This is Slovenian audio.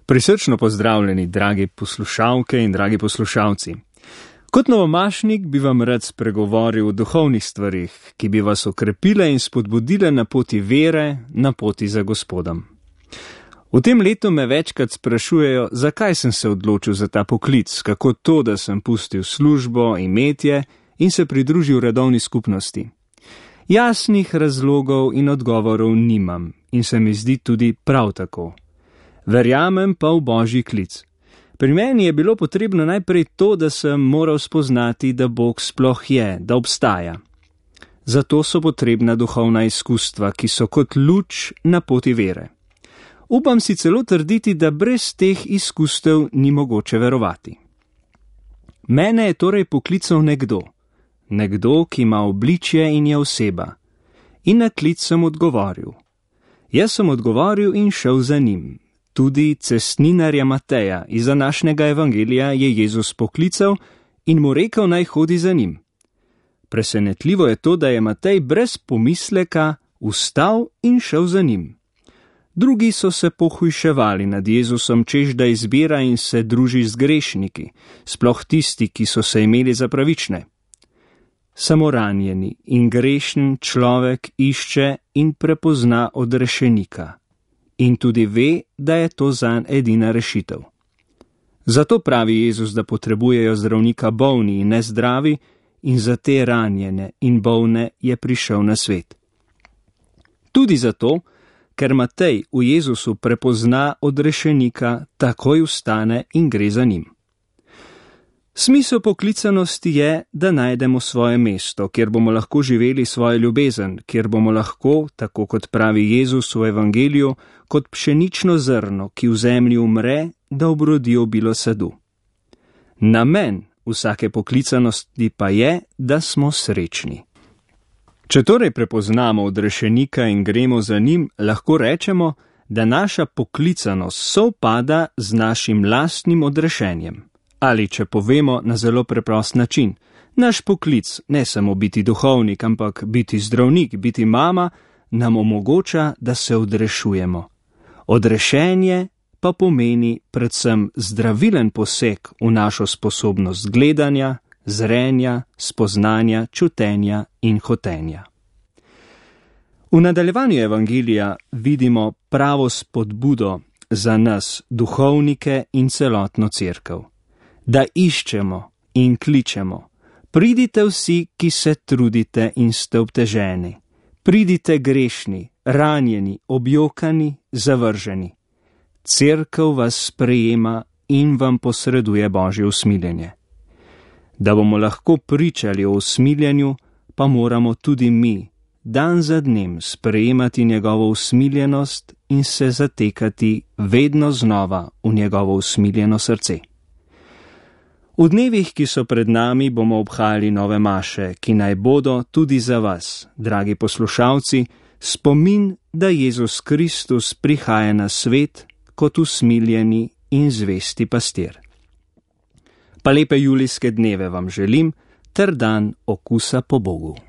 Prisrčno pozdravljeni, dragi poslušalke in dragi poslušalci. Kot novomašnik bi vam rad spregovoril o duhovnih stvarih, ki bi vas okrepile in spodbudile na poti vere, na poti za Gospodom. V tem letu me večkrat sprašujejo, zakaj sem se odločil za ta poklic, kako to, da sem pustil službo, imetje in se pridružil redovni skupnosti. Jasnih razlogov in odgovorov nimam in se mi zdi tudi prav tako. Verjamem pa v Božji klic. Pri meni je bilo potrebno najprej to, da sem moral spoznati, da Bog sploh je, da obstaja. Zato so potrebna duhovna izkustva, ki so kot luč na poti vere. Upam si celo trditi, da brez teh izkustev ni mogoče verovati. Mene je torej poklical nekdo, ki ima obličje in je oseba. In na klic sem odgovoril. Jaz sem odgovoril in šel za njim. Tudi cestninarja Mateja iz današnjega evangelija je Jezus poklical in mu rekel, naj hodi za njim. Presenetljivo je to, da je Matej brez pomisleka vstal in šel za njim. Drugi so se pohujševali nad Jezusom, češ da izbira in se druži z grešniki, sploh tisti, ki so se imeli za pravične. Samo ranjeni in grešen človek išče in prepozna odrešenika. In tudi ve, da je to zanj edina rešitev. Zato pravi Jezus, da potrebujejo zdravnika bolni in nezdravi, in za te ranjene in bolne je prišel na svet. Tudi zato, ker Matej v Jezusu prepozna odrešenika, takoj vstane in gre za njim. Smisel poklicanosti je, da najdemo svoje mesto, kjer bomo lahko živeli svojo ljubezen, kjer bomo lahko, tako kot pravi Jezus v evangeliju, kot pšenično zrno, ki v zemlji umre, da obrodi obilo sadu. Namen vsake poklicanosti pa je, da smo srečni. Če torej prepoznamo odrešenika in gremo za njim, lahko rečemo, da naša poklicanost sovpada z našim lastnim odrešenjem. Ali če povemo na zelo preprost način, naš poklic, ne samo biti duhovnik, ampak biti zdravnik, biti mama, nam omogoča, da se odrešujemo. Odrešenje pa pomeni predvsem zdravilen poseg v našo sposobnost gledanja, zrenja, spoznanja, čutenja in hotenja. V nadaljevanju evangelija vidimo pravo spodbudo za nas, duhovnike in celotno cerkev. Da iščemo in kličemo. Pridite vsi, ki se trudite in ste obteženi. Pridite grešni, ranjeni, objokani, zavrženi. Cerkev vas sprejema in vam posreduje Božje usmiljenje. Da bomo lahko pričali o usmiljenju, pa moramo tudi mi, dan za dnem, sprejemati njegovo usmiljenost in se zatekati vedno znova v njegovo usmiljeno srce. V dnevih, ki so pred nami, bomo obhajali nove maše, ki naj bodo tudi za vas, dragi poslušalci, spomin, da Jezus Kristus prihaja na svet kot usmiljeni in zvesti pastir. Pa lepe julijske dneve vam želim, ter dan okusa po Bogu.